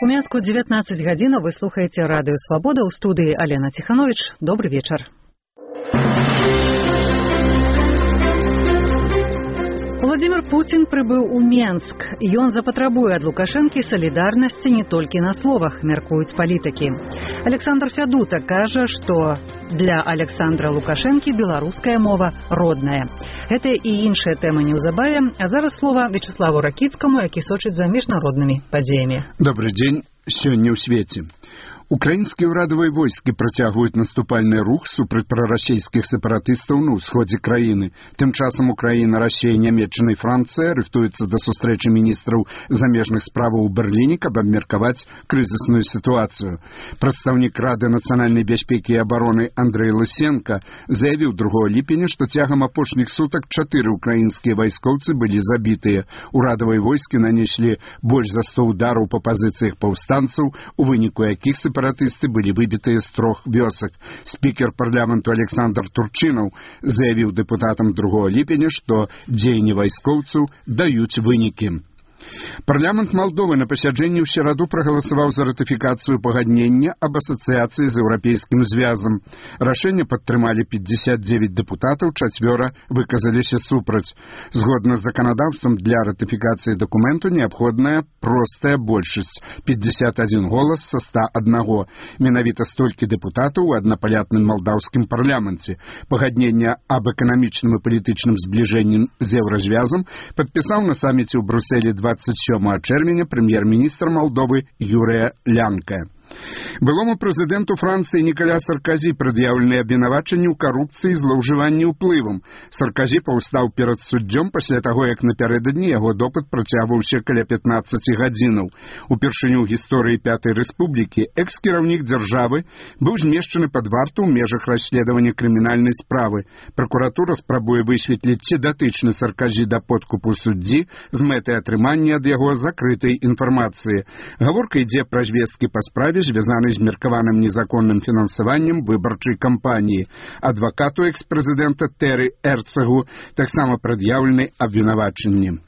У Мінску 19 гадзін, вы слухаеце радыё «Свабода», у студыі Алена Тиханович. Добрый вечер. Владимир Путин прыбыў у Менск. Ён запатрабуе ад Лукашэнкі салідарнасці не толькі на словах, мяркуюць палітыкі. Александр Фядута кажа, што для Александра Лукашэнкі беларуская мова родная. Гэта і іншыя тэмы неўзабаве, а зараз слова Вячеславу Ракіцкаму, які сочыць за міжнароднымі падзеямі. Добрый дзень. Сёння ў свеце. Украінскія ўрадавыя войскі працягваюць наступальны рух супраць прарасійскіх сепаратыстаў на ўсходзе краіны. Тым часам Украіна, Расія, Нямецчына і Францыя рыхтуюцца да сустрэчы міністраў замежных справаў у Берліне, каб абмеркаваць крызісную сітуацыю. Прадстаўнік Рады нацыянальнай бяспекі і абароны Андрэй Лысенко заявіў 2 ліпеня, што цягам апошніх сутак 4 украінскія вайскоўцы былі забітыя. Урадавыя войскі нанеслі больш за 100 удараў па пазіцыях паўстанцаў, у выніку якіх сепаратысты былі выбітыя з 3 вёсак. Спікер парламенту Александр Турчынаў заявіў дэпутатам 2 ліпеня, што дзеянні вайскоўцаў даюць вынікі. Парламент Молдовы на пасяджэнні ў сераду прагаласаваў за ратыфікацыю пагаднення аб асацыяцыі з Еўрапейскім звязам. Рашэнне падтрымалі 59 дэпутатаў, 4 выказаліся супраць. Згодна з заканадаўствам для ратыфікацыі дакументу неабходная простая большасць – 51 голас са 101. Менавіта столькі дэпутатаў у аднапалятным малдаўскім парламенце. Пагаднення аб эканамічным і палітычным збліжэнні з еўразвязам падпісаў на саміце ў Брусэлі 27 чэрвеня прэм'ер-міністр Молдовы Юрыя Лянка. Былому прэзідэнту Францыі Ніколя Саркозі прад'яўлены абвінавачанні ў карупцыі і злоўжыванні ўплывам. Саркозі паўстаў перад суддзём пасля таго, як напярэдадні яго допыт працягваўся каля 15 гадзінаў. Упершыню ў гісторыі Пятай Рэспублікі экс-кіраўнік дзяржавы быў змешчаны пад варту ў межах расследавання крымінальнай справы. Пракуратура спрабуе высветліць, ці датычны Саркозі да подкупу суддзі з мэтай атрымання ад яго закрытай інфармацыі. Гаворка ідзе пра звесткі па справе, звязаны з меркаваным незаконным фінансаваннем выбарчай кампаніі. Адвакату экс-прэзідэнта Тэры Эрцэгу таксама прад'яўлены абвінавачанні.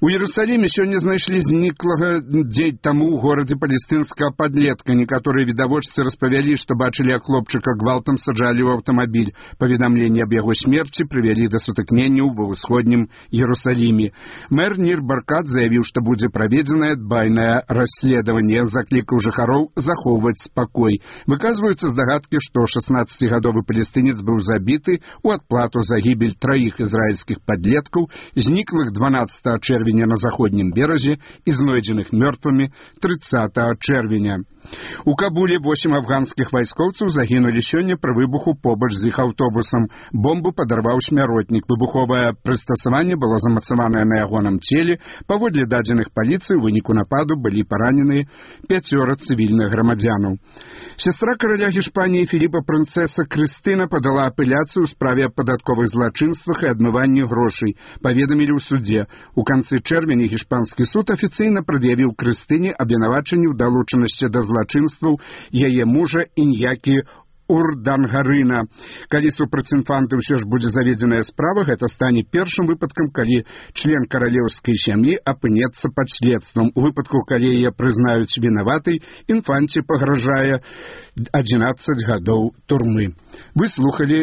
У Иерусалиме сёння знайшлі зніклага дзень таму ў горадзе палестынскага падлетка. Некаторыя відавочцы распавялі, што бачылі, як хлопчыка гвалтам саджалі ў аўтамабіль. Паведамленні аб яго смерці прывялі да сутыкненняў ва ўсходнім Иерусалиме. Мэр Нир Баркат заявіў, што будзе праведзенае дбайнае расследаванне. Заклікаў жыхароў захоўваць спакой. Выказваюцца здагадкі, што 16-гадовы палестынец быў забіты ў адплату за гібель 3 ізраільскіх падлеткаў, зніклых 12 чэрвеня на заходнім беразе і знойдзеных мёртвымі 30 чэрвеня. У Кабуле 8 афганскіх вайскоўцаў загінулі сёння пры выбуху побач з іх аўтобусам. Бомбу падарваў смяротнік. Выбуховае прыстасаванне было замацаванае на ягоным целе. Паводле дадзеных паліцыі, у выніку нападу былі параненыя 5 цывільных грамадзянаў. Сестра караля Гішпаніі Філіпа прынцэса Крыстына падала апеляцыю ў справе аб падатковых злачынствах і адмыванні грошай. Паведамілі ў судзе. У канцы чэрвеня гішпанскі суд афіцыйна прад'явіў Крыстыне абвінавачанні ў далучанасці да злачынстваў яе мужа Іньякі Урдангарына. Калі супраць інфанты ўсё ж будзе заведзеная справа, гэта стане першым выпадкам, калі член каралеўскай сям'і апынецца пад следствам. У выпадку, калі яе прызнаюць вінаватай, інфанце пагражае 11 гадоў турмы. Вы слухалі